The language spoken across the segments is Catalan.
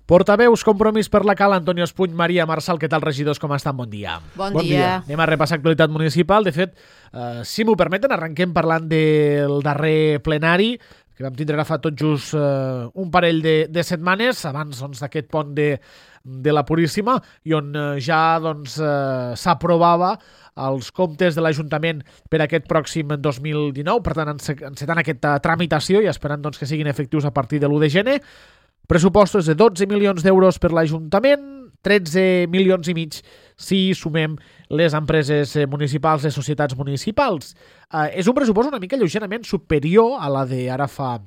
Portaveus, Compromís per la Cala, Antonio Espuny, Maria Marçal, què tal, regidors, com estan? Bon dia. Bon dia. Anem a repassar actualitat municipal. De fet, si m'ho permeten, arrenquem parlant del darrer plenari, que vam tindre fa tot just un parell de setmanes, abans d'aquest pont de la Puríssima, i on ja s'aprovava els comptes de l'Ajuntament per aquest pròxim 2019, per tant, encetant aquesta tramitació i esperant que siguin efectius a partir de l'1 de gener. Pressupostos de 12 milions d'euros per l'Ajuntament, 13 milions i mig si sumem les empreses municipals, les societats municipals. És un pressupost una mica lleugerament superior a la d'ara fa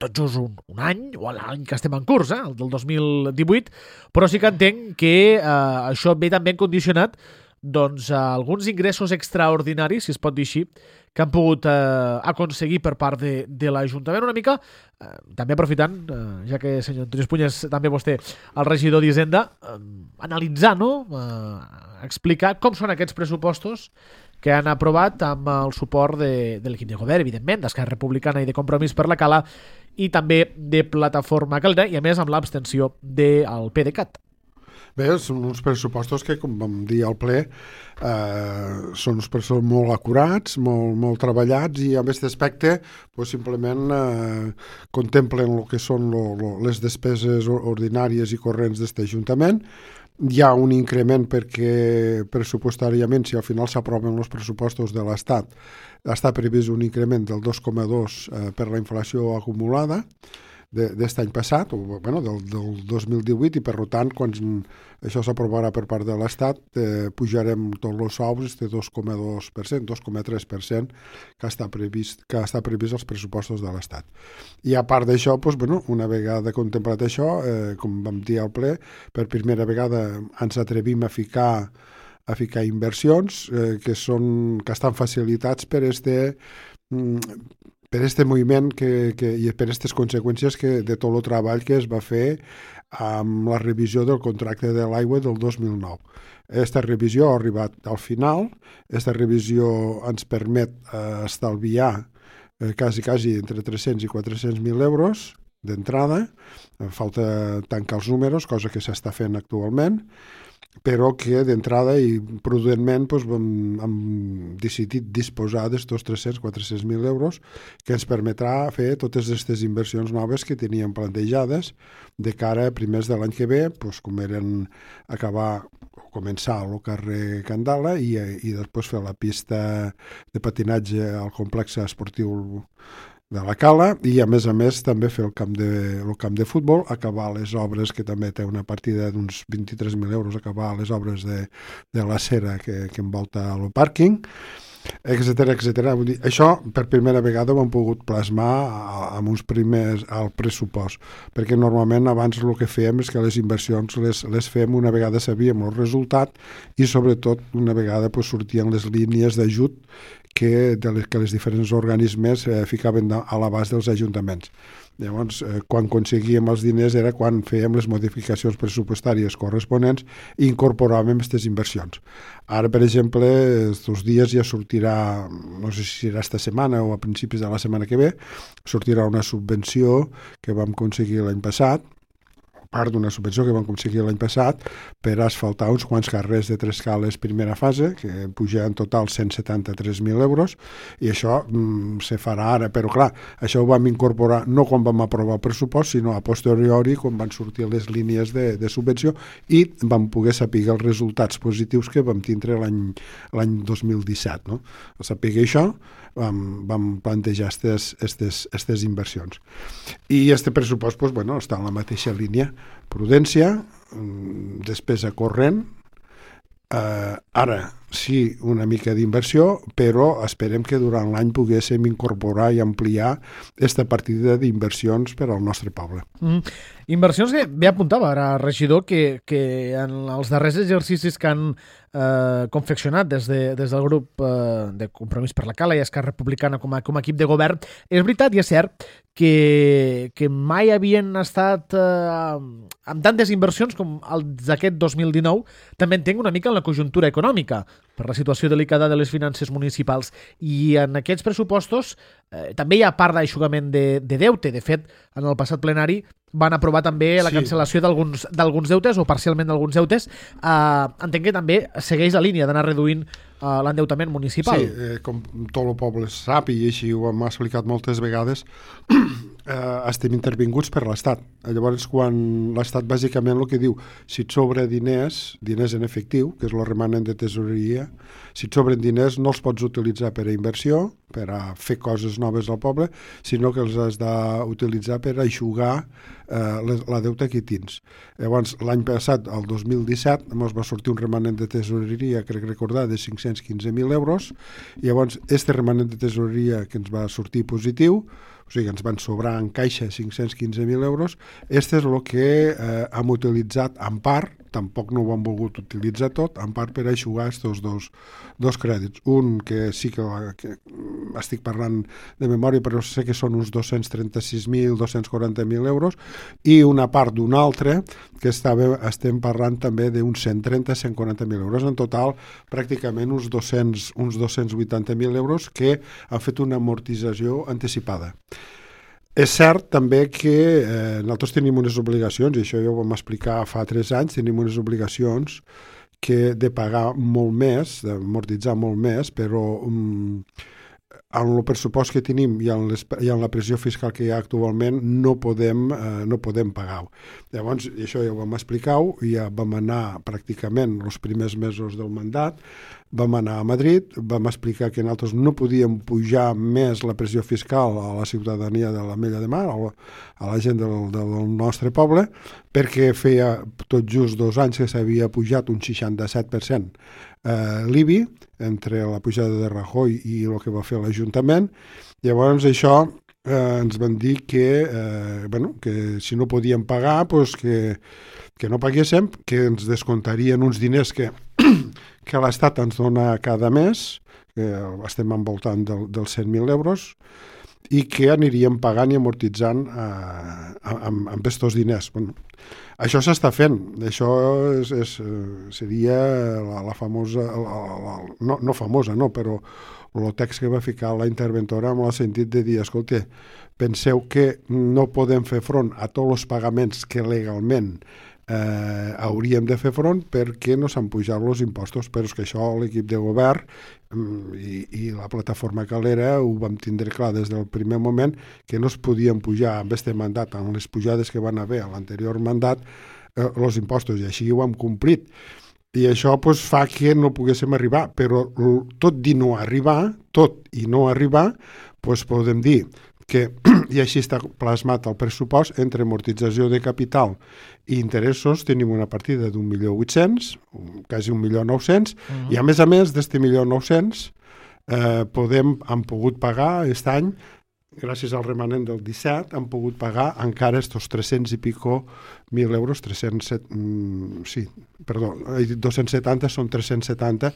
tot just un any, o l'any que estem en curs, el del 2018, però sí que entenc que això ve també condicionat alguns ingressos extraordinaris, si es pot dir així, que han pogut aconseguir per part de l'Ajuntament una mica, també aprofitant, ja que senyor Antonio Espuny és també vostè el regidor d'Hisenda, analitzar, explicar com són aquests pressupostos que han aprovat amb el suport de l'equip de govern, evidentment, d'Esquerra Republicana i de Compromís per la Cala, i també de Plataforma Calera, i a més amb l'abstenció del PDeCAT. Bé, són uns pressupostos que, com vam dir al ple, són uns pressupostos molt acurats, molt treballats, i en aquest aspecte simplement contemplen el que són les despeses ordinàries i corrents d'aquest Ajuntament. Hi ha un increment perquè pressupostàriament, si al final s'aproven els pressupostos de l'Estat, està previst un increment del 2,2 per la inflació acumulada d'aquest any passat, del 2018, i per tant, quan això s'aprovarà per part de l'Estat, pujarem tots els sous de 2,2%, 2,3% que està previst als pressupostos de l'Estat. I a part d'això, una vegada contemplat això, com vam dir al ple, per primera vegada ens atrevim a ficar inversions que estan facilitats per este moviment i per aquestes conseqüències de tot el treball que es va fer amb la revisió del contracte de l'aigua del 2009. Aquesta revisió ha arribat al final. Aquesta revisió ens permet estalviar quasi entre 300 i 400.000 euros d'entrada. Falta tancar els números, cosa que s'està fent actualment, però que d'entrada i prudentment hem decidit disposar d'estos 300-400.000 euros que ens permetrà fer totes aquestes inversions noves que teníem plantejades de cara a primers de l'any que ve, com eren començar al carrer Candala i després fer la pista de patinatge al complex esportiu de la Cala, i a més també fer el camp de futbol, acabar les obres, que també té una partida d'uns 23.000 euros, acabar les obres de la cera que envolta el pàrquing, etcètera. Això per primera vegada ho hem pogut plasmar amb uns primers al pressupost, perquè normalment abans el que fèiem és que les inversions les fèiem una vegada sabíem el resultat i sobretot una vegada sortien les línies d'ajut que les diferents organismes ficaven a l'abast dels ajuntaments. Llavors, quan aconseguíem els diners era quan fèiem les modificacions pressupostàries corresponents i incorporàvem aquestes inversions. Ara, per exemple, aquests dies ja sortirà, no sé si serà esta setmana o a principis de la setmana que ve, sortirà una subvenció que vam aconseguir l'any passat, part d'una subvenció que vam aconseguir l'any passat per asfaltar uns quants carrers de Tres Cales primera fase, que puja en total 173.000 euros, i això se farà ara, però clar, això ho vam incorporar no quan vam aprovar el pressupost, sinó a posteriori, quan van sortir les línies de subvenció, i vam poder saber els resultats positius que vam tindre l'any 2017. No? Al saber això, vam plantejar aquestes inversions. I aquest pressupost està en la mateixa línia. Prudència, despesa corrent, ara sí una mica d'inversió, però esperem que durant l'any poguéssim incorporar i ampliar aquesta partida d'inversions per al nostre poble. Inversions que bé apuntava ara, regidor, que en els darrers exercicis que han confeccionat des del grup de Compromís per la Cala i Esquerra Republicana com a equip de govern, és veritat i és cert que mai havien estat amb tantes inversions com els d'aquest 2019, també entenc una mica en la conjuntura econòmica. per la situació delicada de les finances municipals. I en aquests pressupostos també hi ha part d'aixugament de deute. De fet, en el passat plenari van aprovar també la cancel·lació d'alguns deutes o parcialment d'alguns deutes. Entenc que també segueix la línia d'anar reduint l'endeutament municipal. Sí, com tot el poble sap, i així ho hem explicat moltes vegades, estem intervinguts per l'Estat. Llavors, quan l'Estat bàsicament el que diu, si et sobra diners en efectiu, que és el remanent de tesoreria, si et sobren diners no els pots utilitzar per a inversió, per a fer coses noves al poble, sinó que els has d'utilitzar per a eixugar la deuta que tens. Llavors, l'any passat, el 2017, ens va sortir un remanent de tesoreria, crec recordar, de 515.000 euros, i llavors, este remanent de tesoreria que ens va sortir positiu, o sigui, ens van sobrar en caixa 515.000 euros, este és el que hem utilitzat en part, tampoc no ho han volgut utilitzar tot, en part per eixugar aquests dos crèdits. Un que sí que estic parlant de memòria, però sé que són uns 236.000, 240.000 euros, i una part d'un altre que estem parlant també d'uns 130-140.000 euros. En total, pràcticament uns 280.000 euros que han fet una amortització anticipada. És cert també que nosaltres tenim unes obligacions, i això ja ho vam explicar fa 3 anys, tenim unes obligacions de pagar molt més, d'amortitzar molt més, però en el pressupost que tenim i en la pressió fiscal que hi ha actualment no podem pagar-ho. Llavors, això ja ho vam explicar, ja vam anar pràcticament els primers mesos del mandat, vam anar a Madrid, vam explicar que nosaltres no podíem pujar més la pressió fiscal a la ciutadania de l'Ametlla de Mar, a la gent del nostre poble, perquè feia tot just 2 anys que s'havia pujat un 67% l'IBI, entre la pujada de Rajoy i el que va fer l'Ajuntament. Llavors això ens van dir que si no podíem pagar, que no paguéssim, que ens descontarien uns diners que l'Estat ens dona cada mes, que estem envoltant dels 100.000 euros, i que aniríem pagant i amortitzant amb aquests diners. Això s'està fent. Això seria la famosa, no famosa, no, però el text que va ficar la interventora amb el sentit de dir, escolta, penseu que no podem fer front a tots els pagaments que legalment hauríem de fer front perquè no s'han pujat els impostos, però és que això l'equip de govern i la plataforma Calera ho vam tindre clar des del primer moment, que no es podien pujar amb este mandat, amb les pujades que van haver a l'anterior mandat, els impostos, i així ho hem complit. I això fa que no poguéssim arribar, però tot i no arribar, podem dir que, i així està plasmat el pressupost, entre amortització de capital i interessos tenim una partida d'1.800.000, quasi 1.900.000, i a més d'aquest 1.900.000 hem pogut pagar aquest any, gràcies al remanent del 17, han pogut pagar encara estos 300 i pico mil euros, 270 són 370,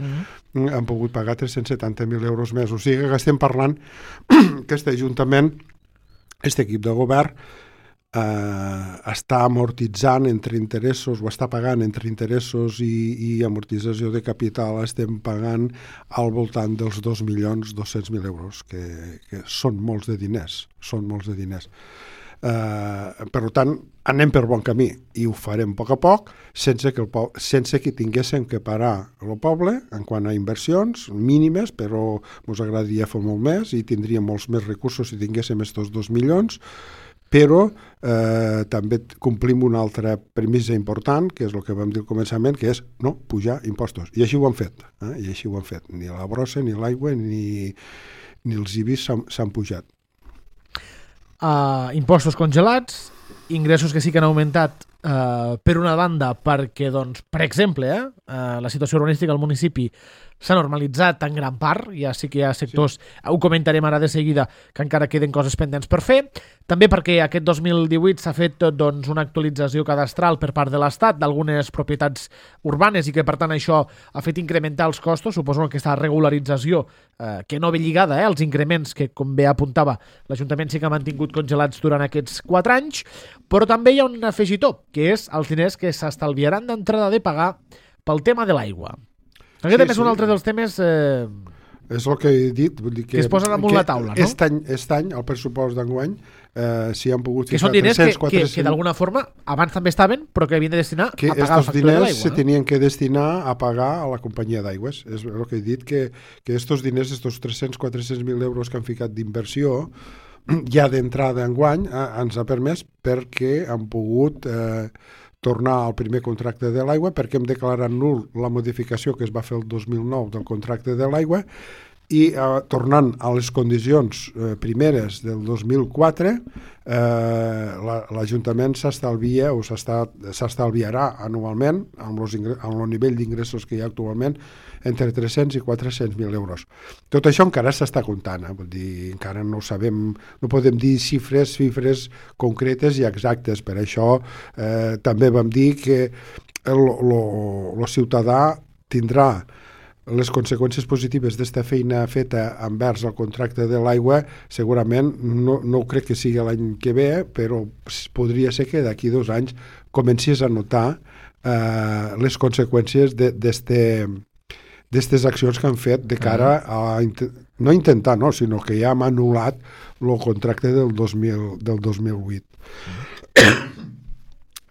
han pogut pagar 370.000 euros més. O sigui que estem parlant que aquest Ajuntament, aquest equip de govern, està amortitzant entre interessos, o està pagant entre interessos i amortització de capital, estem pagant al voltant dels 2.200.000 euros, que són molts de diners, per tant, anem per bon camí i ho farem a poc, sense que tinguéssim que parar el poble en quant a inversions mínimes, però ens agradaria fer molt més i tindríem molts més recursos si tinguéssim aquests 2 milions, però també complim una altra premissa important, que és el que vam dir al començament, que és no pujar impostos. I així ho han fet. Ni la brossa, ni l'aigua, ni els IBIs s'han pujat. Impostos congelats, ingressos que sí que han augmentat per una banda perquè, doncs, per exemple, la situació urbanística al municipi s'ha normalitzat en gran part, ja sí que hi ha sectors, ho comentarem ara de seguida, que encara queden coses pendents per fer, també perquè aquest 2018 s'ha fet una actualització cadastral per part de l'Estat d'algunes propietats urbanes i que per tant això ha fet incrementar els costos, suposo que aquesta regularització que no ve lligada als increments que, com bé apuntava, l'Ajuntament sí que ha mantingut congelats durant aquests 4 anys, però també hi ha un afegitó, que és els diners que s'estalviaran d'entrada de pagar pel tema de l'aigua. Aquest també és un altre dels temes és el que he dit, vull dir que es posen damunt la taula, no? Aquest any, el pressupost d'enguany, s'hi han pogut... Que són diners que d'alguna forma abans també estaven, però que havien de destinar a pagar la factura de l'aigua. Que estos diners se tenien que destinar a pagar a la companyia d'aigües. És el que he dit, que estos diners, estos 300-400.000 euros que han ficat d'inversió, ja d'entrada enguany, ens ha permès perquè han pogut tornar al primer contracte de l'aigua, perquè hem declarat nul la modificació que es va fer el 2009 del contracte de l'aigua, i tornant a les condicions primeres del 2004, l'Ajuntament s'estalvia o s'estalviarà anualment amb el nivell d'ingressos que hi ha actualment entre 300 i 400.000 euros. Tot això encara s'està comptant, vull dir, encara no sabem, no podem dir xifres concretes i exactes. Per això també vam dir que el ciutadà tindrà les conseqüències positives d'esta feina feta envers el contracte de l'aigua. Segurament no ho crec que sigui l'any que ve, però podria ser que d'aquí 2 anys comencis a notar les conseqüències d'aquestes accions que han fet de cara a no intentar, no, sinó que ja hem anul·lat el contracte del 2008.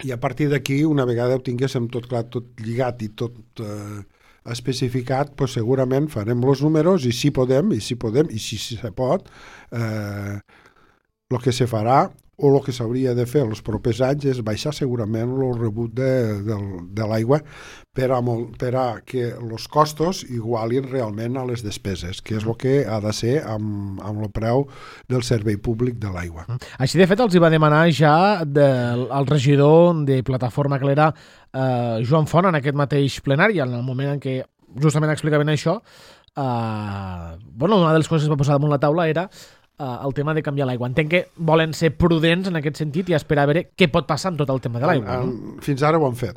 I a partir d'aquí, una vegada ho tinguéssim tot clar, tot lligat i tot especificat, pues segurament farem els números i si podem, i si se pot, el que se farà o el que s'hauria de fer els propers anys és baixar segurament el rebut de l'aigua per a que els costos igualin realment a les despeses, que és el que ha de ser amb el preu del servei públic de l'aigua. Així, de fet, els hi va demanar ja el regidor de Plataforma Clera, Joan Font, en aquest mateix plenari, en el moment en què justament explicaven això. Una de les coses que es va posar damunt la taula era el tema de canviar l'aigua. Entenc que volen ser prudents en aquest sentit i esperar a veure què pot passar amb tot el tema de l'aigua. Fins ara ho han fet.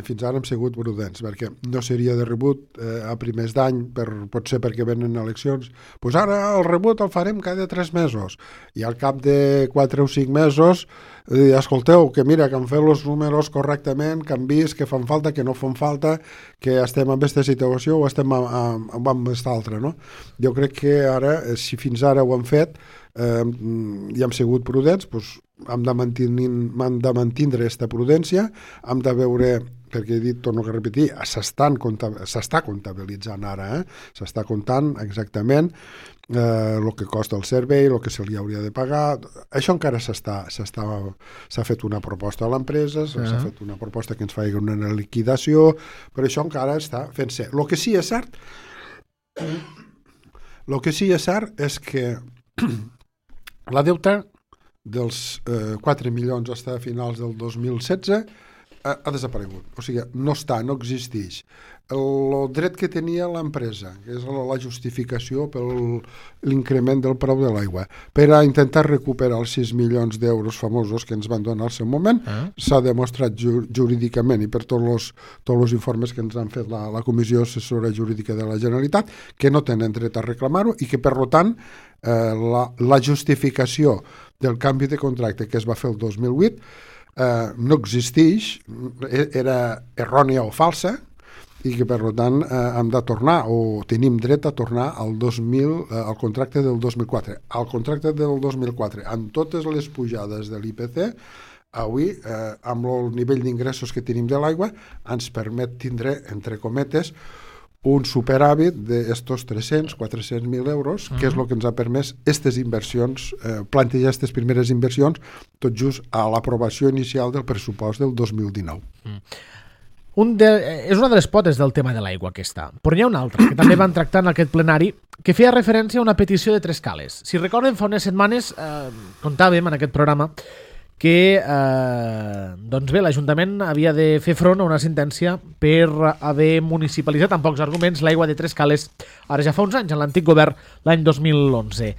Fins ara hem sigut prudents, perquè no seria de rebut a primers d'any, potser perquè venen eleccions. Doncs ara el rebut el farem cada 3 mesos. I al cap de 4 o 5 mesos escolteu, que mira, que han fet els números correctament, que han vist que fan falta, que no fan falta, que estem en aquesta situació o estem amb aquesta altra, no? Jo crec que ara, si fins ara ho han fet i hem sigut prudents, doncs hem de mantindre aquesta prudència, hem de veure, perquè he dit, torno a repetir, s'està comptabilitzant ara, s'està comptant exactament el que costa el servei, el que se li hauria de pagar. Això encara s'ha fet una proposta a l'empresa, s'ha fet una proposta que ens faci una liquidació, però això encara està fent-se. El que sí és cert és que la deuta dels 4 milions fins a finals del 2016 ha desaparegut. O sigui, no existeix. El dret que tenia l'empresa, que és la justificació per l'increment del preu de l'aigua, per a intentar recuperar els 6 milions d'euros famosos que ens van donar al seu moment, s'ha demostrat jurídicament i per tots els informes que ens han fet la Comissió Assessora Jurídica de la Generalitat, que no tenen dret a reclamar-ho i que, per tant, la justificació del canvi de contracte que es va fer el 2008 no existeix, era errònia o falsa, i que per tant hem de tornar o tenim dret a tornar al contracte del 2004. Al contracte del 2004, amb totes les pujades de l'IPC, avui, amb el nivell d'ingressos que tenim de l'aigua, ens permet tindre, entre cometes, un superàvit d'estos 300-400.000 euros, que és el que ens ha permès aquestes inversions, plantejar aquestes primeres inversions, tot just a l'aprovació inicial del pressupost del 2019. És una de les potes del tema de l'aigua aquesta, però n'hi ha una altra que també van tractar en aquest plenari, que feia referència a una petició de 3 cales. Si recorden, fa unes setmanes contàvem en aquest programa que l'Ajuntament havia de fer front a una sentència per haver municipalitzat amb pocs arguments l'aigua de 3 cales ara ja fa uns anys, en l'antic govern, l'any 2011.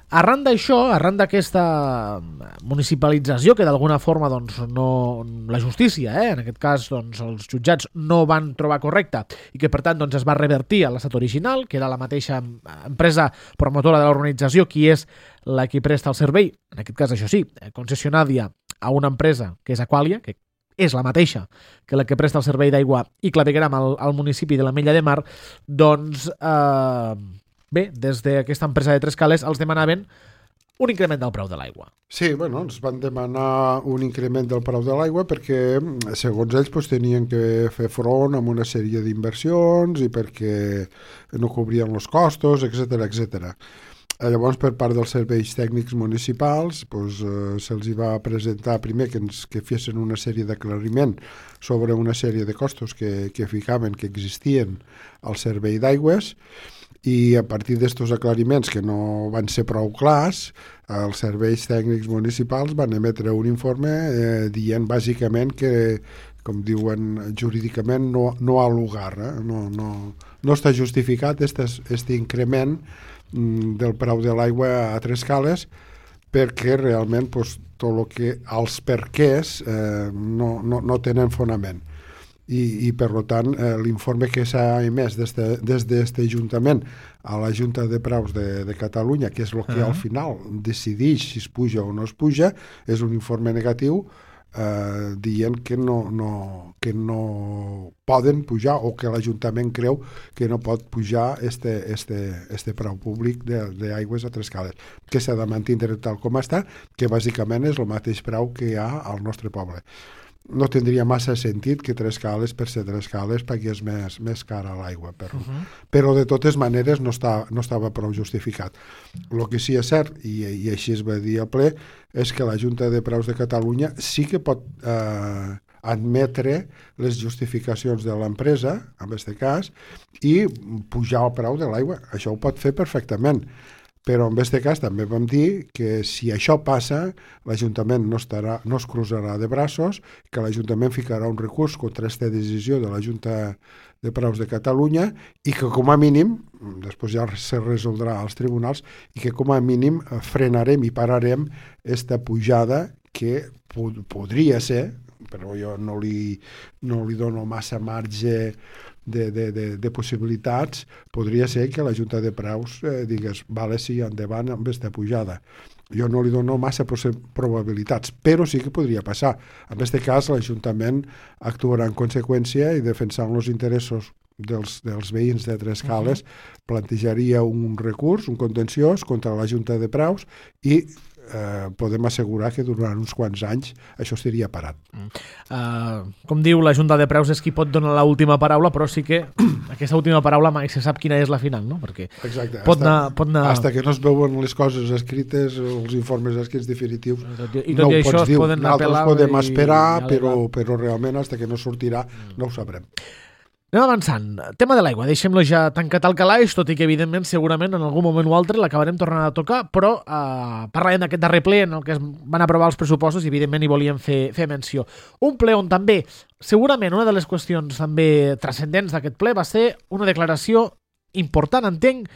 Arran d'això, arran d'aquesta municipalització que d'alguna forma la justícia, en aquest cas els jutjats no van trobar correcta i que per tant es va revertir a l'estat original, que era la mateixa empresa promotora de l'organització qui és la qui presta el servei, en aquest cas això sí, concessionària a una empresa que és Aqualia, que és la mateixa que la que presta el servei d'aigua i clavegueram al municipi de l'Ametlla de Mar, doncs bé, des d'aquesta empresa de Trescales els demanaven un increment del preu de l'aigua. Sí, bueno, ens van demanar un increment del preu de l'aigua perquè, segons ells, doncs, tenien que fer front amb una sèrie d'inversions i perquè no cobrien els costos, etc. Llavors, per part dels serveis tècnics municipals, doncs, se'ls va presentar primer que fessin una sèrie d'aclariment sobre una sèrie de costos que ficaven, que existien al servei d'aigües, i a partir d'estos aclariments que no van ser prou clars, els serveis tècnics municipals van emetre un informe dient bàsicament que, com diuen jurídicament, no ha lugar, no està justificat este increment del preu de l'aigua a Trescales, perquè realment pues, tot el que els perquès no tenen fonament. I per tant, l'informe que s'ha emès des d'aquest Ajuntament a la Junta de Preus de Catalunya, que és el que al final decideix si es puja o no es puja, és un informe negatiu dient que no poden pujar, o que l'Ajuntament creu que no pot pujar este preu públic d'aigües a Trescales, que s'ha de mantenir tal com està, que bàsicament és el mateix preu que hi ha al nostre poble. No tindria massa sentit que Trescales, per ser Trescales, pagués més cara l'aigua, però de totes maneres no estava prou justificat. El que sí és cert, i així es va dir al ple, és que la Junta de Preus de Catalunya sí que pot admetre les justificacions de l'empresa, en aquest cas, i pujar el preu de l'aigua. Això ho pot fer perfectament. Però en aquest cas també vam dir que si això passa, l'Ajuntament no es cruzarà de braços, que l'Ajuntament ficarà un recurs contra aquesta decisió de la Junta de Preus de Catalunya i que com a mínim, després ja se resoldrà als tribunals, i que com a mínim frenarem i pararem aquesta pujada que podria ser, però jo no li dono massa marge de possibilitats, podria ser que la Junta de Preus digués, vale, sí, endavant amb aquesta pujada. Jo no li dono massa probabilitats, però sí que podria passar. En aquest cas, l'Ajuntament actuarà en conseqüència i defensant els interessos dels veïns de Trescales, plantejaria un recurs, un contenciós contra la Junta de Preus i podem assegurar que durant uns quants anys això estaria parat. Com diu, la Junta de Preus és qui pot donar l'última paraula, però sí que aquesta última paraula mai se sap quina és la final, no? Perquè exacte. Pot anar... Hasta que no es veuen les coses escrites, els informes escrits definitius, i tot i això es poden nosaltres podem esperar, però realment hasta que no sortirà no ho sabrem. Anem avançant. Tema de l'aigua, deixem-lo ja tancat al calaix, tot i que evidentment segurament en algun moment o altre l'acabarem tornant a tocar, però parlarem d'aquest darrer ple en el que es van aprovar els pressupostos i evidentment hi volíem fer menció. Un ple on també, segurament una de les qüestions també transcendents d'aquest ple va ser una declaració important, entenc,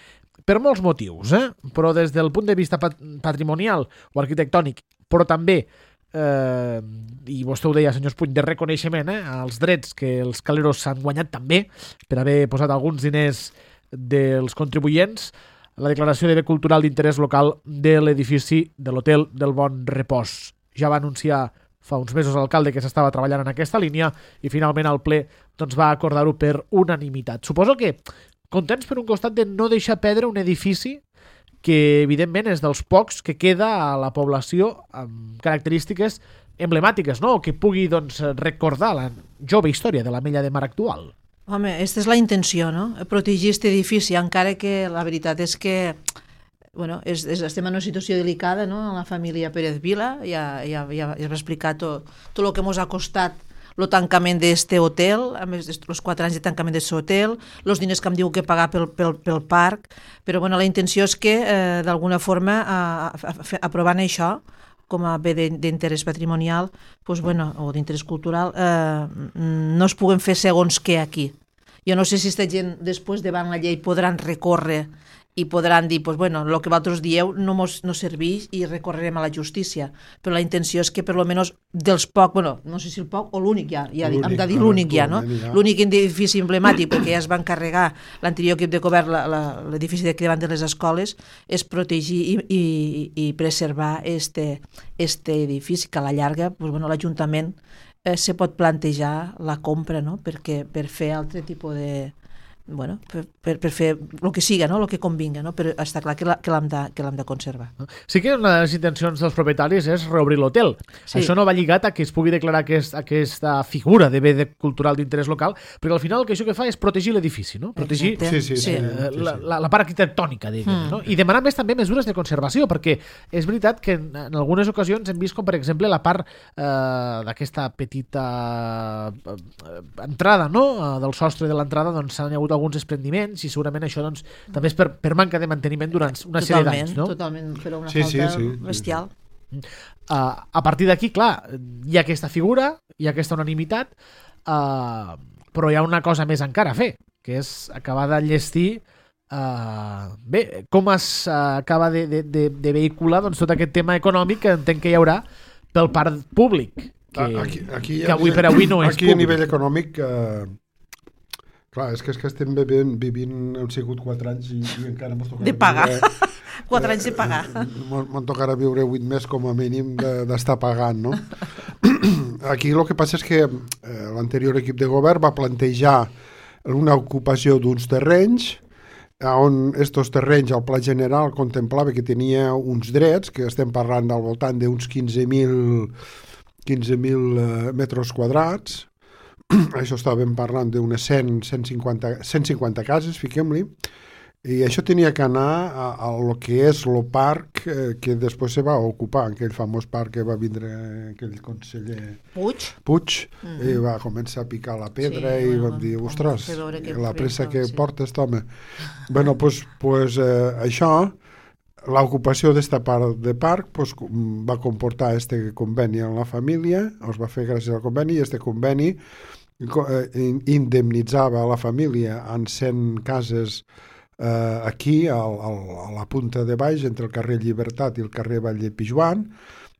per molts motius, però des del punt de vista patrimonial o arquitectònic, però també i vostè ho deia, senyor Puig, de reconeixement als drets que els caleros s'han guanyat també per haver posat alguns diners dels contribuents, la declaració de bé cultural d'interès local de l'edifici de l'Hotel del Bon Repòs. Ja va anunciar fa uns mesos l'alcalde que s'estava treballant en aquesta línia i finalment el ple doncs, va acordar-ho per unanimitat. Suposo que contents per un costat de no deixar perdre un edifici que evidentment és dels pocs que queda a la població amb característiques emblemàtiques, no? O que pugui doncs, recordar la jove història de l'Ametlla de Mar actual. Home, aquesta és la intenció, no? Protegir aquest edifici, encara que la veritat és que estem en una situació delicada, no? La família Pérez Vila ja va explicar tot el que ens ha costat el tancament d'este hotel, a més els 4 anys de tancament d'aquest hotel, els diners que em diu que pagar pel parc, però la intenció és que d'alguna forma aprovant això com a bé d'interès patrimonial o d'interès cultural no es puguen fer segons què aquí. Jo no sé si aquesta gent després davant la llei podran recórrer i podran dir, el que vosaltres dieu no serveix i recorrerem a la justícia. Però la intenció és que per almenys dels poc, no sé si el poc o l'únic ja hem de dir l'únic ja, no? L'únic edifici emblemàtic, perquè ja es va encarregar l'anterior equip de govern, l'edifici d'aquí davant de les escoles, és protegir i preservar este edifici que a la llarga l'Ajuntament se pot plantejar la compra, no? Perquè per fer altre tipus de... Bueno, per fer el que siga, no? El que convinga, no? Però està clar que l'hem de conservar. Sí que una de les intencions dels propietaris és reobrir l'hotel. Sí. Això no va lligat a que es pugui declarar aquesta figura de bé cultural d'interès local, però al final el que això que fa és protegir l'edifici, no? Protegir la part arquitectònica, diguem, no? I demanar més també mesures de conservació, perquè és veritat que en algunes ocasions hem vist com, per exemple, la part d'aquesta petita entrada, no? Del sostre de l'entrada, doncs s'han hagut alguns desprendiments i segurament això doncs, també és per manca de manteniment durant una sèrie d'anys, no? Totalment, però una falta bestial. A partir d'aquí, clar, hi ha aquesta figura, hi ha aquesta unanimitat, però hi ha una cosa més encara a fer, que és acabar d'enllestir com es acaba de vehicular doncs, tot aquest tema econòmic que entenc que hi haurà pel parc públic, que avui per avui no és aquí públic. A nivell econòmic... Clar, és que estem vivint, han sigut 4 anys i encara mos tocarà... De pagar. 4 anys de pagar. Me'n tocarà viure 8 més com a mínim d'estar pagant, no? Aquí el que passa és que l'anterior equip de govern va plantejar una ocupació d'uns terrenys on estos terrenys al pla general contemplava que tenia uns drets, que estem parlant al voltant d'uns 15.000 metres quadrats. Això estàvem parlant d'unes 150 cases, fiquem-li, i això tenia que anar a lo que és el parc que després se va ocupar, aquell famós parc que va vindre aquell conseller Puig i va començar a picar la pedra i vam dir, ostres, la pressa que porta aquest home. Bueno, doncs això, l'ocupació d'esta part de parc va comportar este conveni amb la família, es va fer gràcies al conveni, i este conveni indemnitzava a la família en 100 cases aquí a la punta de baix entre el carrer Llibertat i el carrer Vall de Pijuan,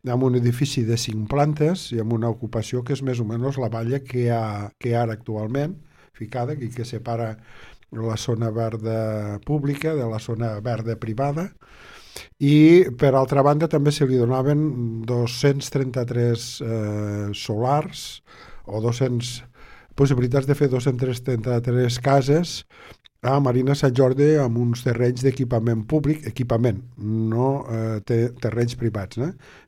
amb un edifici de 5 plantes i amb una ocupació que és més o menys la valla que hi ha ara actualment ficada, que separa la zona verda pública de la zona verda privada. I per altra banda també se li donaven 233 solars o 200 possibilitats de fer 233 cases a Marina Sant Jordi amb uns terrenys d'equipament públic, no terrenys privats,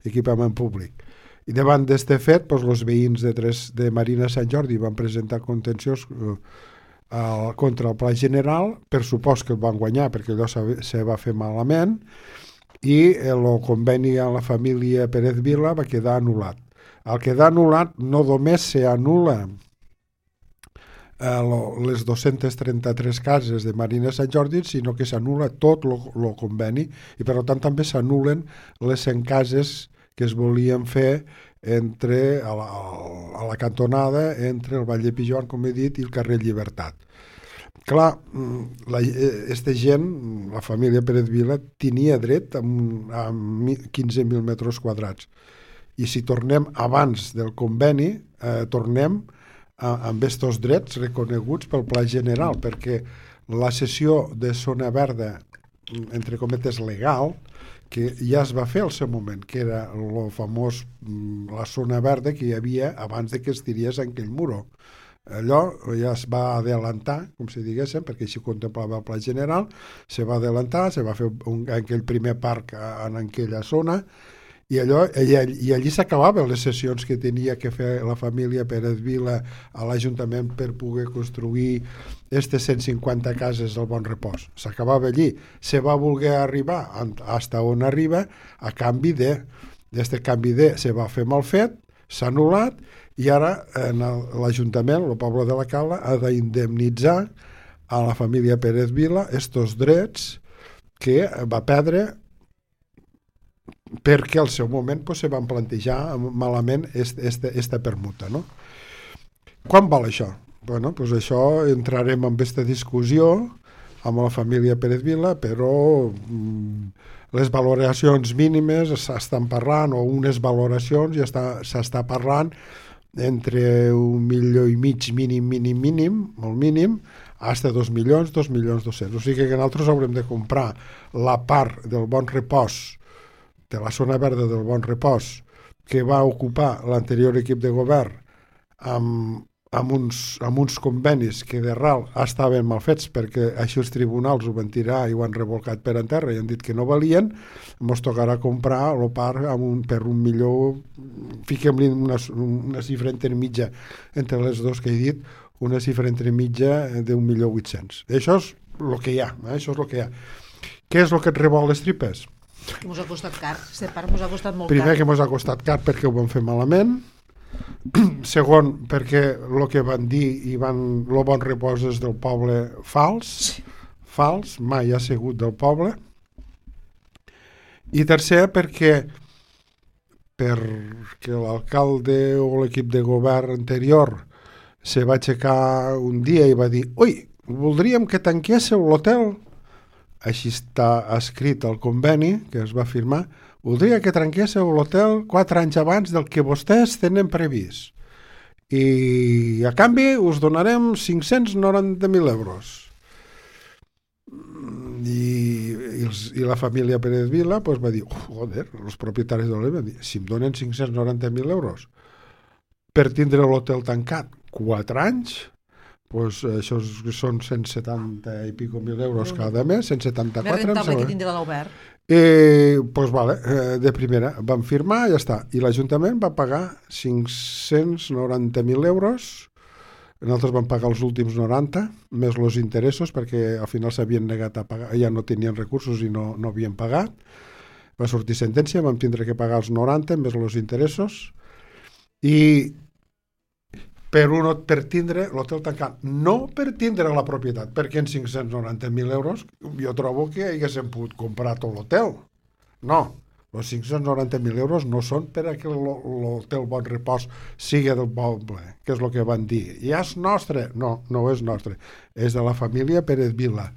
equipament públic. I davant d'aquest fet, els veïns de Marina Sant Jordi van presentar contenciós contra el Pla General, per supost que el van guanyar perquè allò se va fer malament, i el conveni amb la família Pérez Vila va quedar anul·lat. Al quedar anul·lat no només s'anul·la les 233 cases de Marina Sant Jordi, sinó que s'anul·la tot el conveni i per tant també s'anul·len les 100 cases que es volien fer a la cantonada entre el Vall de Pijuan, com he dit, i el carrer Llibertat. Clar, aquesta gent, la família Pérez Vila, tenia dret a 15.000 metres quadrats. I si tornem abans del conveni, tornem amb aquests drets reconeguts pel Pla General, perquè la cessió de zona verda, entre cometes, legal, que ja es va fer al seu moment, que era el famós, la zona verda que hi havia abans de que es tirés en aquell muro. Allò ja es va adelantar, com si diguéssim, perquè així contemplava el Pla General, se va adelantar, se va fer aquell primer parc en aquella zona, i allí s'acabaven les sessions que tenia que fer la família Pérez Vila a l'Ajuntament per poder construir aquestes 150 cases del Bon Repòs. S'acabava allí. Se va voler arribar fins on arriba a canvi de... D'aquest canvi de se va fer mal fet, s'ha anul·lat, i ara l'Ajuntament, el poble de la Cala, ha d'indemnitzar a la família Pérez Vila estos drets que va perdre perquè al seu moment se van plantejar malament esta permuta, no? Quan val això? Bueno, això entrarem en aquesta discussió amb la família Pérez Vila, però les valoracions mínimes s'estan parlant, o unes valoracions ja s'està parlant entre 1,5 milions mínim, molt mínim, fins a 2 milions, 2.200.000. O sigui que nosaltres haurem de comprar la part del Bon Repòs, de la zona verda del Bon Repòs, que va ocupar l'anterior equip de govern amb uns convenis que de ral estaven mal fets perquè així els tribunals ho van tirar i ho han revolcat per en terra i han dit que no valien, ens tocarà comprar el parc per un millor, fiquem-li una xifra intermitja entre les dos que he dit, una xifra intermitja d'1.800.000. Això és el que hi ha, això és el que hi ha. Què és el que et rebol les tripes? Que mos ha costat car, este parc mos ha costat molt Primer car. que mos ha costat car perquè ho van fer malament, segon perquè el que van dir i el bon repòs és del poble fals, mai ha sigut del poble, i tercer perquè l'alcalde o l'equip de govern anterior se va aixecar un dia i va dir ui, voldríem que tanquéssiu l'hotel, així està escrit al conveni que es va firmar, voldria que tanquéssiu l'hotel 4 anys abans del que vostès tenen previst. I a canvi us donarem 590.000 euros. I la família Pérez Vila va dir, joder, els propietaris de l'hotel van dir, si em donen 590.000 euros per tindre l'hotel tancat 4 anys, això són 170 i pico mil euros cada mes, 174. Més rentable que tindre l'obert. Vale, de primera van firmar i ja està, i l'Ajuntament va pagar 590.000 euros, nosaltres vam pagar els últims 90 més els interessos perquè al final s'havien negat a pagar, ja no tenien recursos i no havien pagat, va sortir sentència, vam tindre que pagar els 90 més els interessos i per tindre l'hotel tancat, no per tindre la propietat, perquè en 590.000 euros jo trobo que haguéssim pogut comprar tot l'hotel. No, els 590.000 euros no són per a que l'hotel Bon Repòs sigui del poble, que és el que van dir. Ja és nostre? No, no és nostre. És de la família Pérez Vila,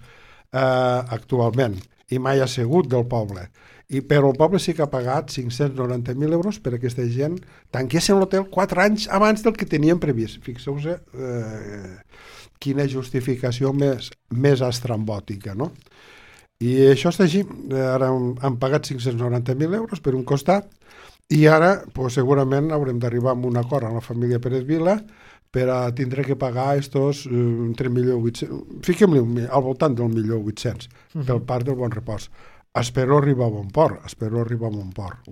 actualment, i mai ha sigut del poble. Però el poble sí que ha pagat 590.000 euros per a aquesta gent tanquessin l'hotel 4 anys abans del que tenien previst. Fixeu-vos quina justificació més estrambòtica, no? I això està així. Ara han pagat 590.000 euros per un costat i ara segurament haurem d'arribar a un acord amb la família Pérez Vila per a tindre que pagar estos entre 1.800.000, fiquem-li al voltant del 1.800.000 pel parc del Bon Repòs. Espero arribar a bon port,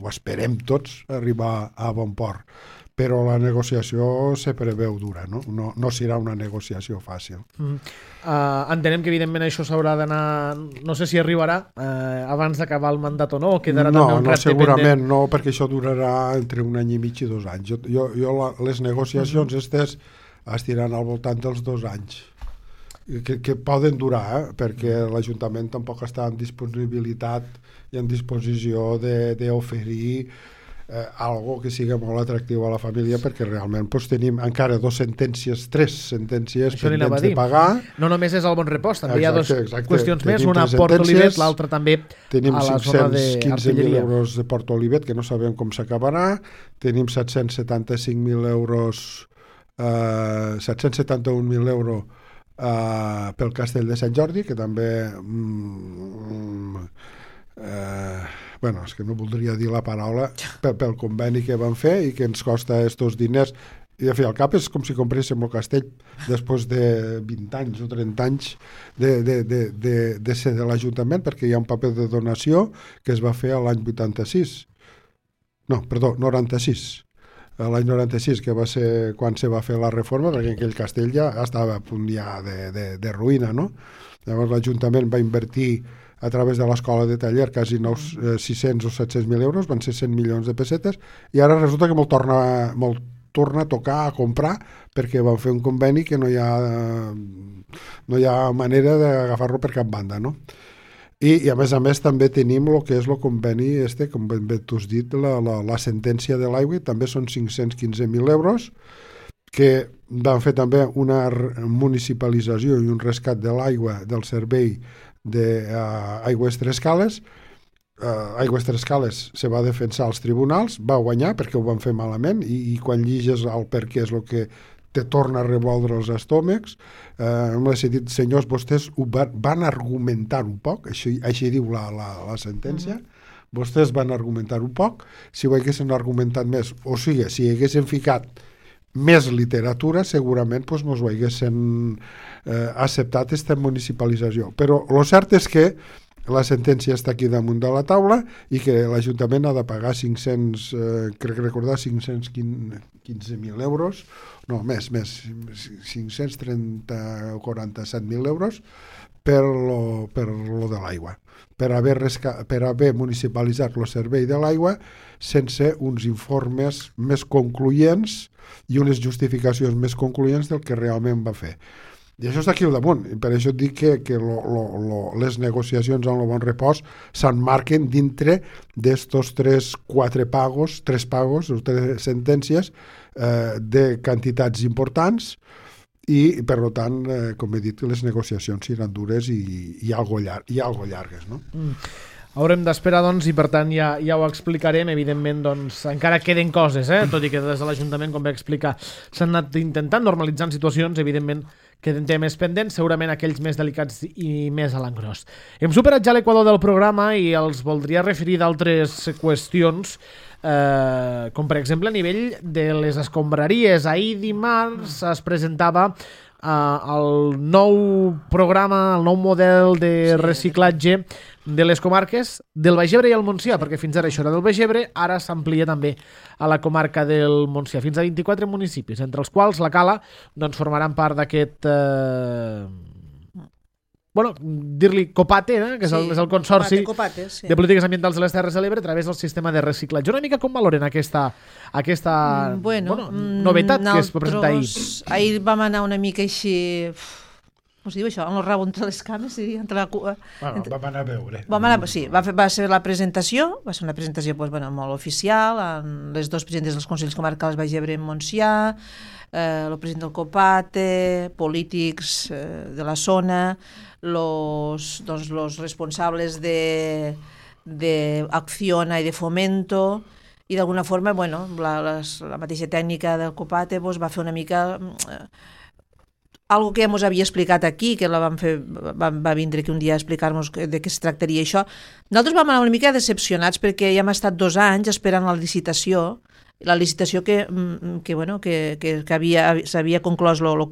ho esperem tots arribar a bon port, però la negociació se preveu dura, no serà una negociació fàcil. Entenem que evidentment això s'haurà d'anar, no sé si arribarà abans d'acabar el mandat o no, o quedarà també un repte segurament pendent. No, perquè això durarà entre 1 any i mig i 2 anys. Les negociacions estes estiran al voltant dels 2 anys. Que poden durar, perquè l'Ajuntament tampoc està en disponibilitat i en disposició d'oferir algo que sigui molt atractiu a la família, perquè realment tenim encara 3 sentències pendents de pagar. No només és el Bon Repòs, també hi ha 2 qüestions més, tenim una a Port Olivet, l'altra també tenim a la zona d'Artilleria. 515.000 euros de Port Olivet, que no sabem com s'acabarà, tenim 775.000 euros 771.000 euros pel Castell de Sant Jordi, que també és que no voldria dir la paraula pel conveni que van fer i que ens costa estos diners, i de fer al cap és com si compréssim el castell després de 20 anys o 30 anys de ser de l'Ajuntament, perquè hi ha un paper de donació que es va fer l'any 96 l'any 96, que va ser quan se va fer la reforma, perquè aquell castell ja estava a punt ja de ruïna, no? Llavors l'Ajuntament va invertir a través de l'escola de taller quasi 600 o 700.000 euros, van ser 100 milions de pessetes, i ara resulta que me'l torna a tocar a comprar perquè van fer un conveni que no hi ha manera d'agafar-lo per cap banda, no? I a més també tenim el que és el conveni com ben bé t'has dit, la sentència de l'aigua, també són 515.000 euros, que van fer també una municipalització i un rescat de l'aigua del servei d'Aigües Tres Cales. Aigües Tres Cales se va defensar als tribunals, va guanyar perquè ho van fer malament, i quan lliges el per què és el que te torna a revoldre els estómacs. M'ha dit, senyors, vostès van argumentar un poc, així diu la sentència, vostès van argumentar un poc, si ho haguessin argumentat més, o sigui, si haguessin ficat més literatura, segurament doncs, mos ho haguessin acceptat aquesta municipalització. Però el cert és que la sentència està aquí damunt de la taula i que l'Ajuntament ha de pagar 515.000 euros, no, més, 530 o 47.000 euros per lo de l'aigua, per haver municipalitzat el servei de l'aigua sense uns informes més concloents i unes justificacions més concloents del que realment va fer. I això està aquí al damunt, i per això et dic que les negociacions amb el Bon Repòs s'emmarquen dintre d'estos tres pagos, o tres sentències de quantitats importants, i per tant, com he dit, les negociacions seran dures i algo llargues, no? Haurem d'esperar, doncs, i per tant ja ho explicarem. Evidentment, doncs, encara queden coses, tot i que des de l'Ajuntament, com vaig explicar, s'han anat intentant normalitzar situacions, evidentment queden temes pendents, segurament aquells més delicats i més a l'engròs. Hem superat ja l'equador del programa i els voldria referir d'altres qüestions, com per exemple a nivell de les escombraries. Ahir dimarts es presentava el nou programa, el nou model de reciclatge de les comarques del Baix Ebre i el Montsià, perquè fins ara això era del Baix Ebre, ara s'amplia també a la comarca del Montsià, fins a 24 municipis, entre els quals la Cala doncs, formaran part d'aquest dir-li Copate, que és el Consorci Copate, sí. de Polítiques Ambientals de les Terres de l'Ebre a través del sistema de reciclatge. Una mica com valoren aquesta novetat que es va presentar ahir? Ahir vam anar una mica així... Com es diu això? En el rabo entre les cames? Vam anar a veure. Sí, va ser la presentació, va ser una presentació molt oficial, amb les dos presidentes dels Consells Comarcals Baix Ebre i Montsià, el president del Copate, polítics de la zona, los responsables de Acciona i de Fomento, i d'alguna forma, la mateixa tècnica del Copate va fer una mica... algo que ja ens havia explicat aquí, que va vindre aquí un dia a explicar-nos de què es tractaria això. Nosaltres vam anar una mica decepcionats perquè ja hem estat 2 anys esperant la licitació que s'havia conclòs el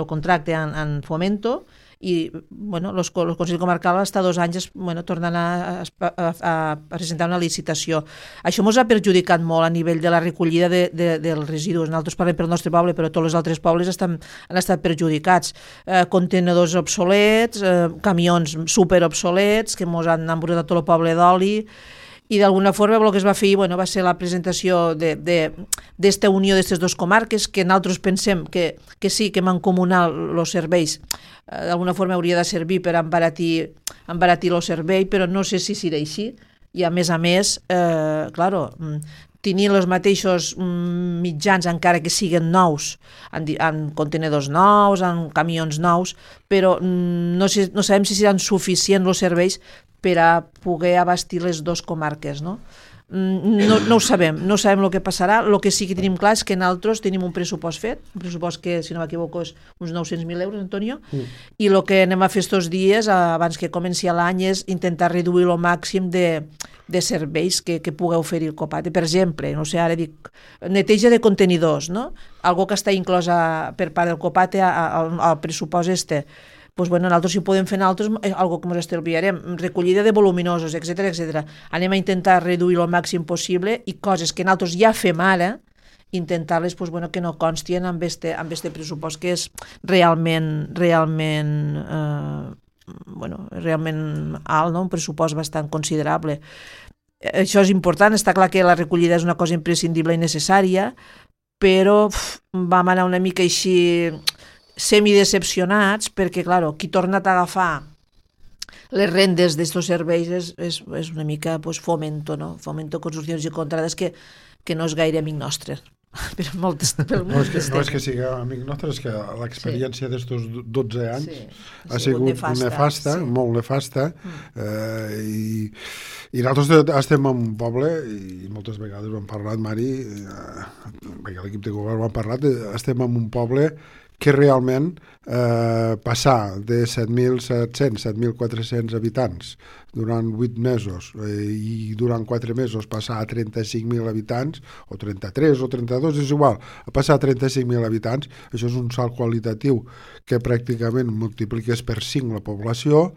contracte en Fomento, i els Consells Comarcals està 2 anys tornant a presentar una licitació. Això ens ha perjudicat molt a nivell de la recollida dels residus. Nosaltres parlem pel nostre poble, però tots els altres pobles han estat perjudicats. Contenedors obsolets, camions superobsolets que ens han embrutat tot el poble d'oli, i d'alguna forma el que es va fer va ser la presentació d'esta unió d'aquestes 2 comarques, que nosaltres pensem que sí, que mancomunar els serveis d'alguna forma hauria de servir per embaratir el servei, però no sé si serà així. I a més, tenir els mateixos mitjans, encara que siguin nous, en contenedors nous, en camions nous, però no sabem si seran suficients els serveis per a poder abastir les 2 comarques, no? No ho sabem, no sabem el que passarà. El que sí que tenim clar és que nosaltres tenim un pressupost fet, un pressupost que, si no m'equivoco, és uns 900.000 euros, Antonio, i el que anem a fer estos dies, abans que comenci l'any, és intentar reduir el màxim de serveis que pugueu oferir el Copate. Per exemple, no sé, ara dic, neteja de contenidors, no? Algo que està inclòs per part del Copate al pressupost nosaltres si ho podem fer nosaltres, algo que ens estalviarem, recollida de voluminosos, etc. Anem a intentar reduir el màxim possible, i coses que nosaltres ja fem ara, intentar-les que no constien amb este pressupost, que és realment alt, no? Un pressupost bastant considerable. Això és important, està clar que la recollida és una cosa imprescindible i necessària, però vam anar una mica així semidecepcionats, perquè, clar, qui torna a agafar les rendes d'aquests serveis és una mica Fomento, no? Fomento, Construccions i Contrades, que no és gaire amic nostre. No és que sigui amic nostre, és que l'experiència d'estos 12 anys ha sigut nefasta, molt nefasta, i nosaltres estem en un poble, i moltes vegades ho hem parlat, Mari, perquè l'equip de govern ho ha parlat, estem en un poble que realment passar de 7.700, 7.400 habitants durant 8 mesos i durant 4 mesos passar a 35.000 habitants, o 33 o 32, és igual, a passar a 35.000 habitants, això és un salt qualitatiu que pràcticament multipliques per 5 la població,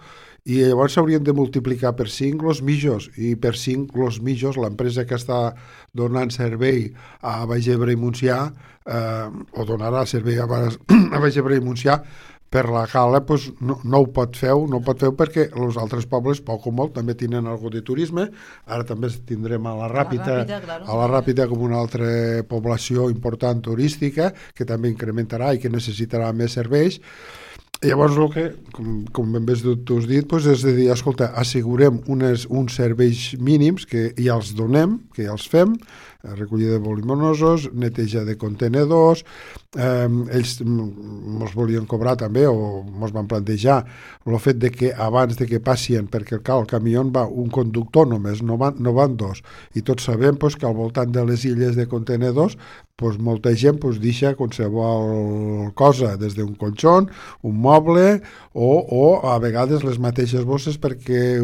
i llavors s'haurien de multiplicar per 5 els mitjos, i per 5 els mitjos, l'empresa que està donant servei a Baix Ebre i Montsià, o donarà servei a Baix Ebre i Montsià, per la cala pues, no ho pot fer, perquè els altres pobles, poc o molt, també tenen algo de turisme. Ara també tindrem a la Ràpita com una altra població important turística, que també incrementarà i que necessitarà més serveis. Llavors, el que, com ben bé tu has dit, doncs és de dir, escolta, assegurem uns serveis mínims que ja els donem, que ja els fem, recollida de voluminosos, neteja de contenedors, ells ens volien cobrar també, o ens van plantejar el fet de que abans de que passin, perquè el camió va un conductor només, no van dos, i tots sabem que al voltant de les illes de contenedors molta gent deixa qualsevol cosa, des d'un colxon, un moble, o a vegades les mateixes bosses perquè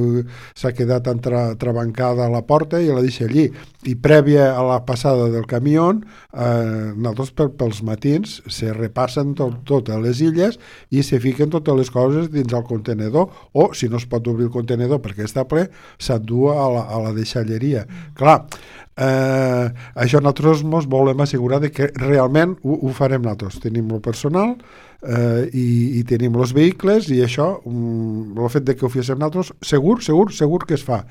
s'ha quedat entrebancada a la porta i la deixa allí. I prèvia a la passada del camió, nosaltres pels matins se repassen totes les illes i se fiquen totes les coses dins el contenedor, o si no es pot obrir el contenedor perquè està ple, s'endú a la deixalleria. Clar, això nosaltres ens volem assegurar de que realment ho farem nosaltres. Tenim el personal i tenim els vehicles, i això, el fet de que ho féssim nosaltres, segur que es fa.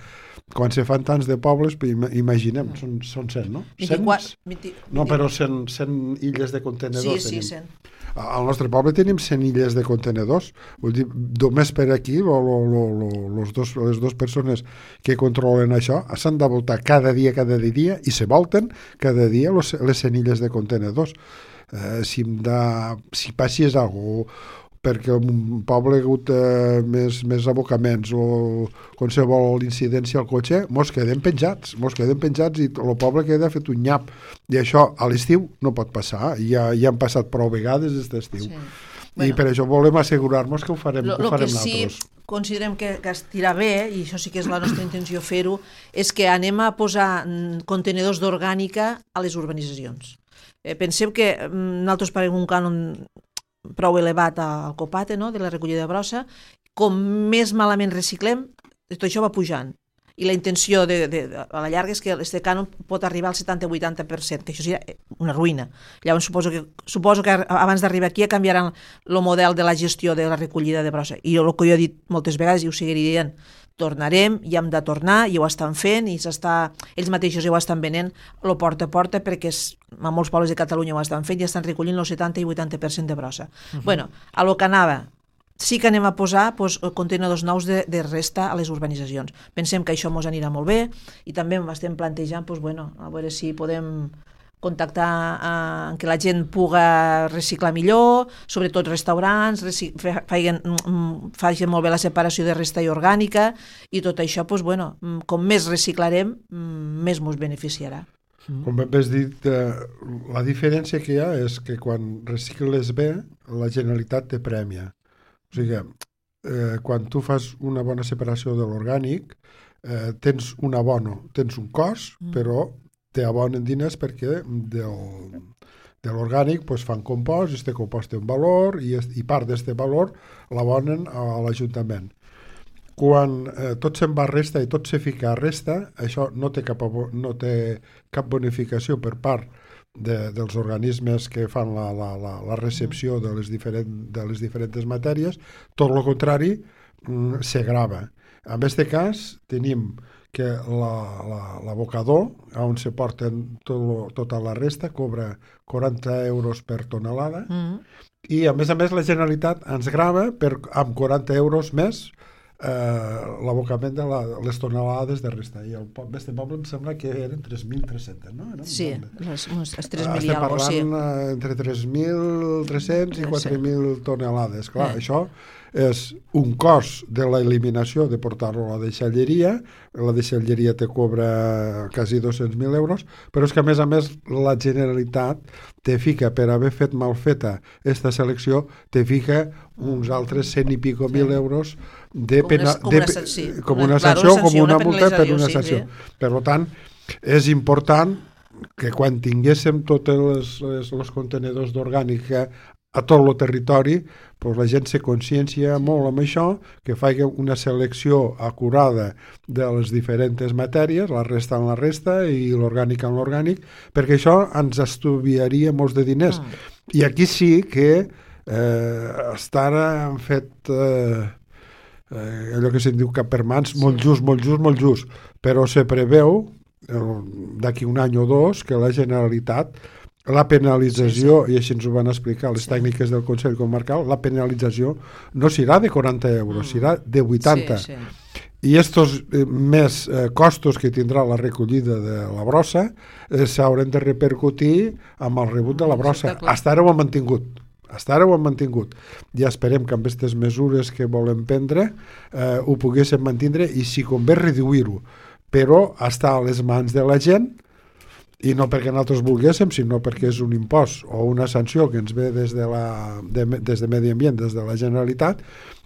Quan se fan tants de pobles, imaginem, són 100, no? 100? No, però 100 illes de contenedors. Sí, 100. Al nostre poble tenim 100 illes de contenedors. Vull dir, només per aquí les dues persones que controlen això s'han de voltar cada dia i se volten cada dia les 100 illes de contenedors. Si passés alguna cosa perquè un poble ha hagut més abocaments o qualsevol incidència al cotxe, mos quedem penjats i el poble queda fet un nyap. I això a l'estiu no pot passar, ja han passat prou vegades aquest estiu. Sí. I per això volem assegurar-nos que ho farem nosaltres. Sí, considerem que estirà bé, i això sí que és la nostra intenció fer-ho, és que anem a posar contenedors d'orgànica a les urbanitzacions. Pensem que nosaltres paguem un cànon prou elevat al copate, no?, de la recollida de brossa. Com més malament reciclem, tot això va pujant. I la intenció a la llarga és que este cànon pot arribar al 70-80%, que això seria una ruïna. Llavors suposo que abans d'arribar aquí canviaran el model de la gestió de la recollida de brossa. I el que jo he dit moltes vegades, i ho seguiré dient, tornarem, i hem de tornar, i ho estan fent, i ells mateixos ja ho estan venent, el porta a porta, perquè a molts pobles de Catalunya ho estan fent i estan recollint el 70 i 80% de brossa. Bueno, a lo que anava, sí que anem a posar contenidors nous de resta a les urbanitzacions. Pensem que això ens anirà molt bé, i també estem plantejant, a veure si podem contactar en què la gent puga reciclar millor, sobretot restaurants, facin molt bé la separació de resta i orgànica, i tot això, com més reciclarem, més ens beneficiarà. Com has dit, la diferència que hi ha és que quan recicles bé, la Generalitat te prèmia. O sigui, quan tu fas una bona separació de l'orgànic, tens un abono, tens un cost, però t'abonen diners perquè de l'orgànic fan compost, i aquest compost té un valor, i part d'aquest valor l'abonen a l'Ajuntament. Quan tot se'n va a resta i tot se fica a resta, això no té cap bonificació per part dels organismes que fan la recepció de les diferents matèries, tot el contrari, se grava. En aquest cas, tenim que l'abocador, on se porten tota la resta, cobra 40 euros per tonelada, i a més la Generalitat ens grava amb 40 euros més l'abocament de les tonelades de resta. I el poble em sembla que eren 3.300, no? Sí, les 3.000 i alguna cosa. Estem parlant entre 3.300 i 4.000 tonelades. Clar, això és un cost de l'eliminació de portar-lo a la deixalleria te cobra quasi 200.000 euros, però és que a més la Generalitat te fica, per haver fet mal feta esta selecció, te fica uns altres 100 i pico mil euros com una sanció, com una multa per una sanció. Per tant, és important que quan tinguéssim tots els contenedors d'orgànica a tot el territori, doncs la gent se consciencia molt amb això, que faci una selecció acurada de les diferents matèries, la resta en la resta i l'orgànic en l'orgànic, perquè això ens estalviaria molts de diners. I aquí sí que està ara han fet allò que se'n diu cap per mans, molt just, però se preveu d'aquí un any o dos que la Generalitat, la penalització, i així ens ho van explicar les tècniques del Consell Comarcal, la penalització no serà de 40 euros, serà de 80. I estos més costos que tindrà la recollida de la brossa s'hauran de repercutir amb el rebut de la brossa. Hasta ara ho han mantingut. Ja esperem que amb aquestes mesures que volem prendre ho poguéssim mantindre i si convé reduir-ho, però està a les mans de la gent, i no perquè nosaltres volguéssim, sinó perquè és un impost o una sanció que ens ve des de Medi Ambient, des de la Generalitat,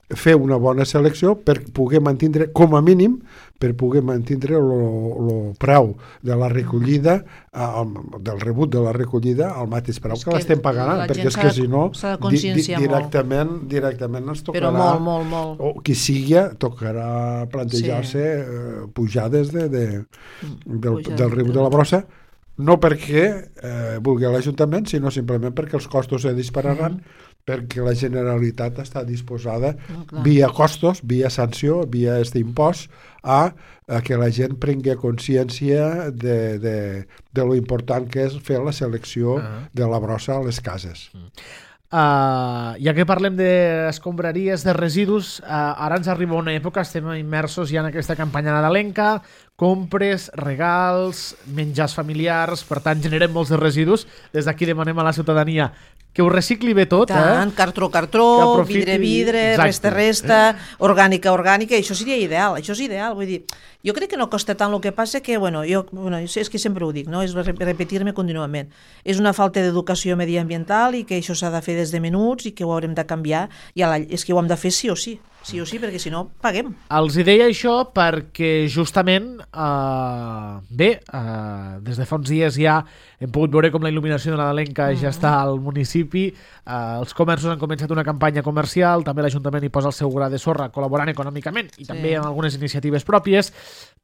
fer una bona selecció per poder mantindre, com a mínim, per poder mantindre el preu de la recollida, del rebut de la recollida, al mateix preu que l'estem pagant, perquè és que si no, directament ens tocarà, però molt. O qui sigui, tocarà plantejar-se pujades del rebut de la brossa, no perquè vulgui l'Ajuntament, sinó simplement perquè els costos se dispararan, perquè la Generalitat està disposada, via costos, via sanció, via aquest impost, a que la gent prengui consciència de lo important que és fer la selecció de la brossa a les cases. Ja que parlem d'escombraries, de residus, ara ens arriba una època, estem immersos ja en aquesta campanya nadalenca, compres, regals, menjars familiars, per tant generem molts de residus. Des d'aquí demanem a la ciutadania que ho recicli bé tot. Tant, cartró, vidre, resta, orgànica, i això seria ideal, vull dir, jo crec que no costa tant, el que passa que, jo és que sempre ho dic, no? És repetir-me contínuament, és una falta d'educació mediambiental i que això s'ha de fer des de menuts i que ho haurem de canviar, i és que ho hem de fer sí o sí, perquè si no, paguem. Els deia això perquè justament, des de fa uns dies ja hem pogut veure com la il·luminació de nadalenca ja està al municipi, els comerços han començat una campanya comercial, també l'Ajuntament hi posa el seu gra de sorra col·laborant econòmicament i també amb algunes iniciatives pròpies.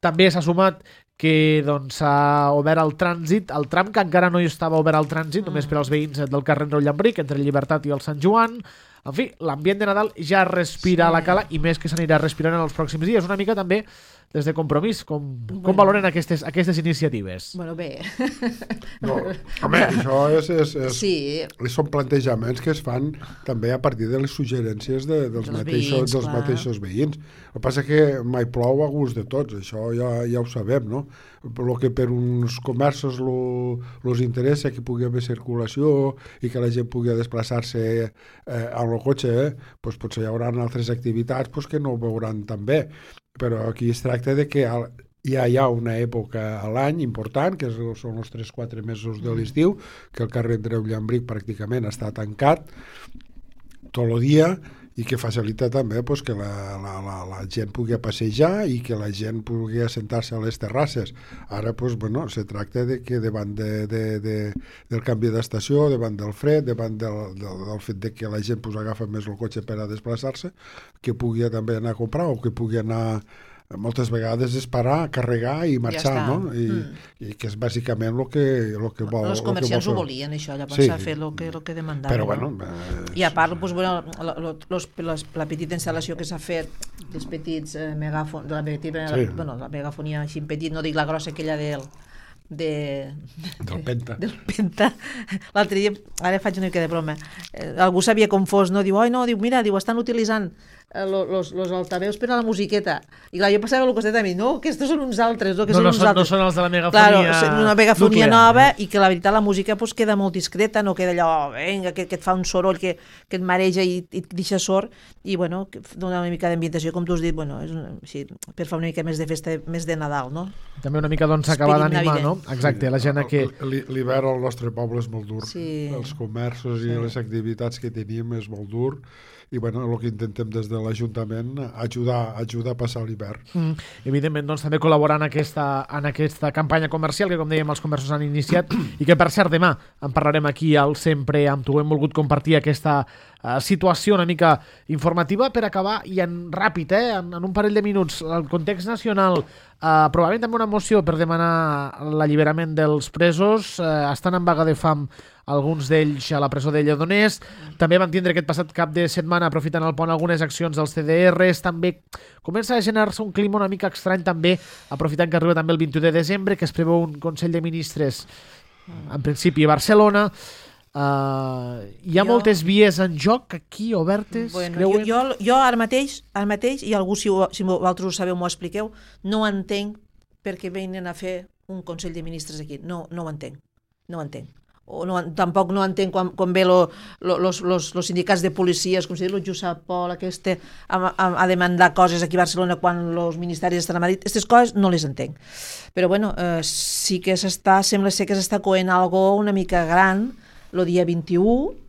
També s'ha sumat que s'ha obert el trànsit, el tram que encara no hi estava obert al trànsit, només per als veïns del carrer Andreu Llambric, entre el Llibertat i el Sant Joan. En fi, l'ambient de Nadal ja respira a la cala i més que s'anirà respirant en els pròxims dies. Una mica també des de Compromís. Com valoren aquestes iniciatives? Bé. No, home, això són plantejaments que es fan també a partir de les suggerències dels mateixos veïns. El que passa que mai plou a gust de tots, això ja ho sabem, no? El que per uns comerços els interessa que pugui haver circulació i que la gent pugui desplaçar-se amb el cotxe, doncs potser hi haurà altres activitats que no ho veuran tan bé, però aquí es tracta de que ja hi ha una època a l'any important, que són els 3-4 mesos de l'estiu, que el carrer Andreu Llambric pràcticament està tancat tot el dia, i que facilita també que la gent pugui passejar i que la gent pugui assentar-se a les terrasses. Ara se tracta de que davant del canvi d'estació, davant del fred, davant del fet de que la gent agafa més el cotxe per a desplaçar-se, que pugui també anar a comprar o que pugui anar moltes vegades és parar, carregar i marxar, no? I que és bàsicament el que vol. Els comerciants ho volien, això, llavors s'ha fet el que demandaven. Però I a part, la petita instal·lació que s'ha fet dels petits megàfons, la megafonia així petit, no dic la grossa, aquella del Penta. L'altre dia, ara faig una mica de broma, algú s'havia confós, no? Diu, mira, estan utilitzant los altaveus per a la musiqueta. I clar, jo passava al costat de mi, no, aquests són uns altres, no, que No, són no uns són, no altres. són els de la megafonia Claro, una megafonia nuclear, nova i que la veritat la música pues, queda molt discreta, no queda allò, venga, que et fa un soroll que et mareja i et deixa sord i bueno, dona una mica d'ambientació, com tu has dit, bueno, és així, per fer una mica més de festa, més de Nadal, no? També una mica doncs acabar Esperit d'animar, navideñ. no? Exacte, la gent que... L'hivern al nostre poble és molt dur. Sí. Els comerços i les activitats que tenim és molt dur i bueno, el que intentem des de l'Ajuntament ajudar a passar l'hivern. Evidentment, doncs, també col·laborar en aquesta campanya comercial que, com dèiem, els comerços han iniciat i que, per cert, demà en parlarem aquí al Sempre amb tu. Hem volgut compartir aquesta situació una mica informativa per acabar i ràpid, en un parell de minuts. El context nacional, probablement també una moció per demanar l'alliberament dels presos, estan en vaga de fam alguns d'ells a la presó de Lledoners. També van tindre aquest passat cap de setmana, aprofitant el pont, algunes accions dels CDRs. També comença a generar-se un clima una mica estrany, també, aprofitant que arriba també el 21 de desembre, que es preveu un Consell de Ministres, en principi, a Barcelona. Hi ha moltes vies en joc aquí, obertes? Bueno, jo ara mateix, i algú, si vosaltres ho sabeu, m'ho expliqueu, no entenc per què venen a fer un Consell de Ministres aquí. No ho entenc. O no, tampoc no entenc quan ve los sindicats de policies, com si diu el Josep Pol, a demandar coses aquí a Barcelona quan els ministeris estan a Madrid. Aquestes coses no les entenc. Però bueno, sí que sembla ser que s'està coent algo una mica gran el dia 21.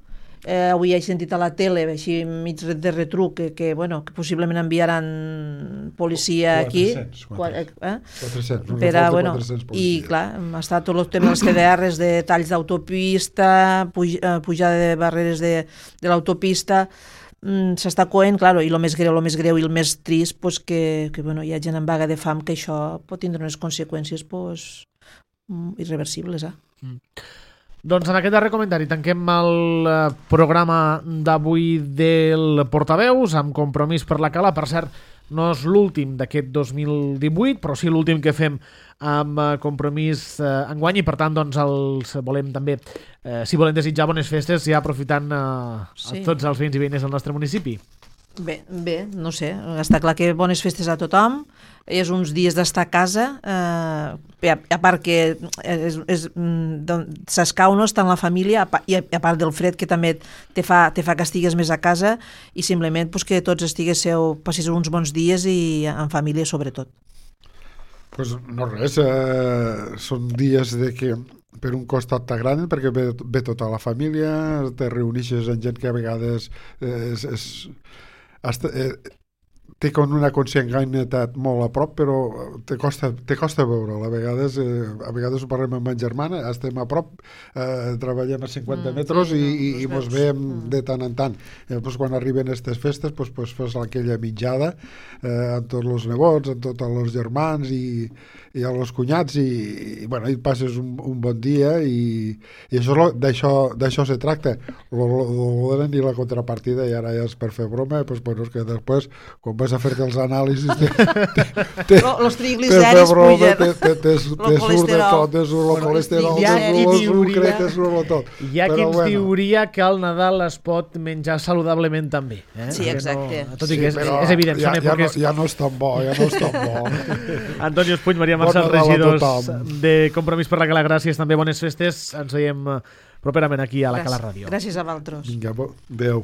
Avui he sentit a la tele, així mig de retruc, que possiblement enviaran policia aquí. 400. I clar, està tot el tema dels CDRs, de talls d'autopista, pujada de barreres de l'autopista, s'està coent, clar, i el més greu i el més trist, que hi ha gent en vaga de fam, que això pot tindre unes conseqüències irreversibles. Doncs en aquest darrer comentari tanquem el programa d'avui del Portaveus amb Compromís per la Cala. Per cert, no és l'últim d'aquest 2018, però sí l'últim que fem amb Compromís enguany i per tant doncs els volem també, si volem desitjar bones festes, ja aprofitant a tots els veïns i veïnes del nostre municipi. Bé, no sé, està clar que bones festes a tothom, és uns dies d'estar a casa, a part que s'escau, no?, estar en la família, i a part del fred que també te fa que estigues més a casa, i simplement que tots passis uns bons dies i en família sobretot. Pues no res, són dies de que per un costat t'agraden perquè ve tota la família, te reunixes amb gent que a vegades té com una consanguinitat molt a prop, però te costa veure'l. A vegades ho parlem amb ma germana, estem a prop, treballem a 50 metres i mos veiem de tant en tant. Quan arriben aquestes festes, fas aquella mitjada amb tots els nebots, amb tots els germans i amb els cunyats i passes un bon dia i d'això se tracta. I la contrapartida, i ara ja és per fer broma, és que després, quan vas a fer-te els anàlisis els trigliceris pugen, te surt de tot, te surt el colesterol, te surt tot. Hi ha qui ens diuria que al Nadal es pot menjar saludablement també. Sí, exacte. Tot i que és evident. Ja no és tan bo, Antonio Espuny, Maria Marçal, regidors de Compromís per la Cala, gràcies, també bones festes. Ens veiem properament aquí a la Cala Ràdio. Gràcies a vosaltres. Vinga, adéu.